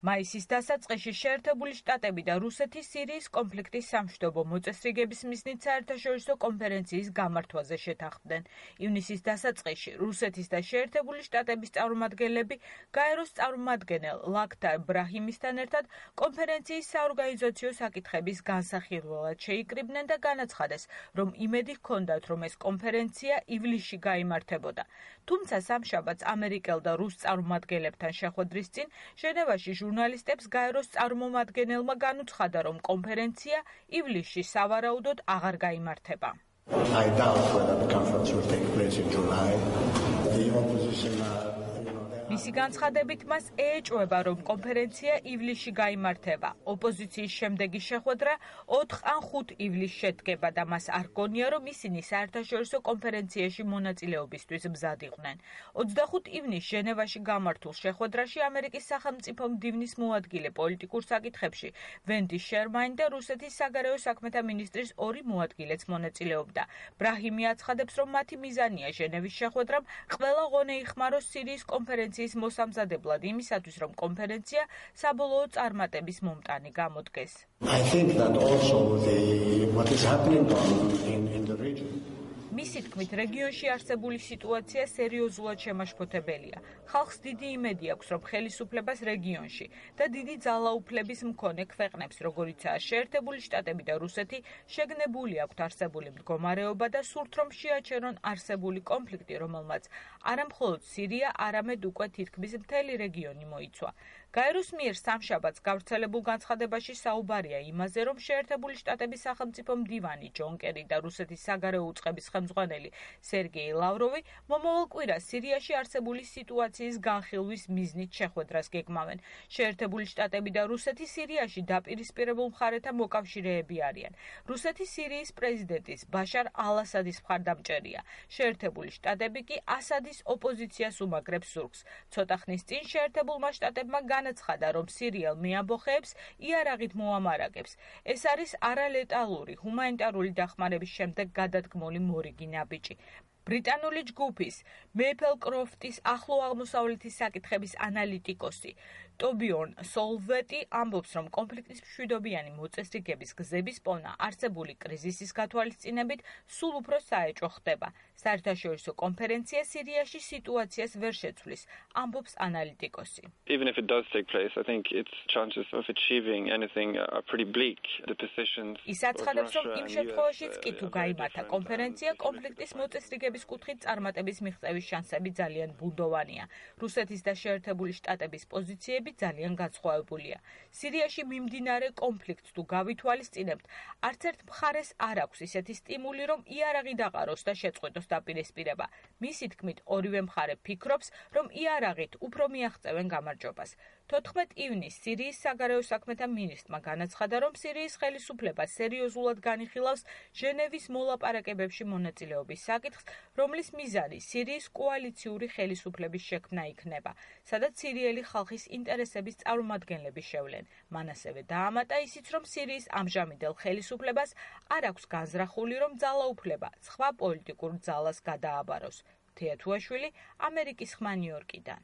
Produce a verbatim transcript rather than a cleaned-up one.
მაისის დასაწყისში შეერთებული შტატები და რუსეთი სირიის კონფლიქტის სამშვიდობო მოწესრიგების მიზნით საერთაშორისო კონფერენციის გამართვაზე შეთანხმდნენ. ივნისის დასაწყისში რუსეთის და შეერთებული შტატების წარმომადგენლები გაეროს წარმომადგენელ ლაქთარ ბრაჰიმისთან ერთად კონფერენციის საორგანიზაციო საკითხების განსახილველად შეიკრიბნენ და განაცხადეს, რომ იმედი ჰქონდათ, რომ ეს კონფერენცია ივლისში გაიმართებოდა. თუმცა სამშაბათს ამერიკელ და რუს წარმომადგენლებთან შეხვედრის წინ ჟენევაში ჟურნალისტებს გაეროს წარმომადგენელმა განუცხადა, რომ კონფერენცია ივლისში სავარაუდოდ აღარ გაიმართება. I doubt whether the conference will take place in July. The opposition uh, მისი განცხადებით მას ეეჭვება, რომ კონფერენცია ივლისში გაიმართება. ოპოზიციის შემდეგი შეხვედრა ოთხ ან ხუთ ივლისს შედგება და მას არ გონია, რომ ისინი საერთაშორისო კონფერენციაში მონაწილეობისთვის მზად იყვნენ. ოცდახუთ ივნისს ჟენევაში გამართულ შეხვედრაში ამერიკის სახელმწიფო მდივნის მოადგილე პოლიტიკურ საკითხებში ვენდი შერმანი და რუსეთის საგარეო საქმეთა მინისტრის ორი მოადგილეც მონაწილეობდა. ბრაჰიმი აცხადებს, რომ მათი მიზანია ჟენევის შეხვედრამ ყველა ღონე იხმაროს სირიის კონფერენციის მოსამზადებლად იმისათვის, რომ კონფერენცია საბოლოო წარმატების მომტანი გამოდგეს. I think that also the what is happening in, in the region. მისი თქმით, რეგიონში არსებული სიტუაცია სერიოზულად შემაშფოთებელია. ხალხს დიდი იმედი აქვს, რომ ხელისუფლებას რეგიონში და დიდი ძალაუფლების მქონე ქვეყნებს, როგორიცაა შეერთებული შტატები და რუსეთი, შეგნებული აქვთ არსებული მდგომარეობა და სურთ, რომ შეაჩერონ არსებული კონფლიქტი, რომელმაც არამხოლოდ სირია, არამედ უკვე თითქმის მთელი რეგიონი მოიცვა. გაეროს მიერ სამშაბათს გავრცელებულ განცხადებაში საუბარია იმაზე, რომ შეერთებული შტატების სახელმწიფო მდივანი ჯონ კერი და რუსეთის საგარეო უწყების ხელმძღვანელი სერგეი ლავროვი მომავალ კვირას სირიაში არსებული სიტუაციის განხილვის მიზნით შეხვედრას გეგმავენ. შეერთებული შტატები და რუსეთი სირიაში დაპირისპირებულ მხარეთა მოკავშირეები არიან. რუსეთი სირიის პრეზიდენტის ბაშარ ალ-ასადის მხარდამჭერია. შეერთებული შტატები კი ასადის ოპოზიციას უმაგრებს ზურგს. ცოტა ხნის წინ შეერთებულმა შტატებმა განაცხადა, რომ სირიელ მეამბოხეებს იარაღით მოამარაგებს. ეს არის არალეტალური ჰუმანიტარული დახმარების შემდეგ გადადგმული მორიგი ნაბიჯი. ბრიტანული ჯგუფის მეიპელ კროფტის ახლო აღმოსავლეთის საკითხების ანალიტიკოსი ტობიორნ სოლვეტი ამბობს, რომ კონფლიქტის მშვიდობიანი მოწესრიგების გზების პოვნა არსებული კრიზისის გათვალისწინებით სულ უფრო საეჭვო ხდება. საერთაშორისო კონფერენცია სირიაში სიტუაციას ვერ შეცვლის, ამბობს ანალიტიკოსი. Even if it does take place, I think its chances of achieving anything are pretty bleak. The positions ის აცხადებს, რომ იმ შემთხვევაშიც კი თუ გაიმართა კონფერენცია, კონფლიქტის მოწესრიგების კუთხით წარმატების მიღწევის შანსები ძალიან ბუნდოვანია. რუსეთის და შეერთებული შტატების პოზიციები ძალიან განსხვავებულია. სირიაში მიმდინარე კონფლიქტს თუ გავითვალისწინებთ, არც ერთ მხარეს არ აქვს ისეთი სტიმული, რომ იარაღი დაყაროს და შეწყვეტოს დაპირისპირება. მისი თქმით, ორივე მხარე ფიქრობს, რომ იარაღით უფრო მიაღწევენ გამარჯვებას. თოთხმეტ ივნისს სირიის საგარეო საქმეთა მინისტრმა განაცხადა, რომ სირიის ხელისუფლება სერიოზულად განიხილავს ჟენევის მოლაპარაკებებში მონაწილეობის საკითხს, რომლის მიზანი სირიის კოალიციური ხელისუფლების შექმნა იქნება, სადაც სირიელი ხალხის ინტერესების წარმომადგენლები შევლენ. მან ასევე დაამატა ისიც, რომ სირიის ამჟამინდელ ხელისუფლებას არ აქვს განზრახული, რომ ძალაუფლება სხვა პოლიტიკურ ძალას გადააბაროს. თეათუაშვილი, ამერიკის ხმა ნიუ-იორკიდან.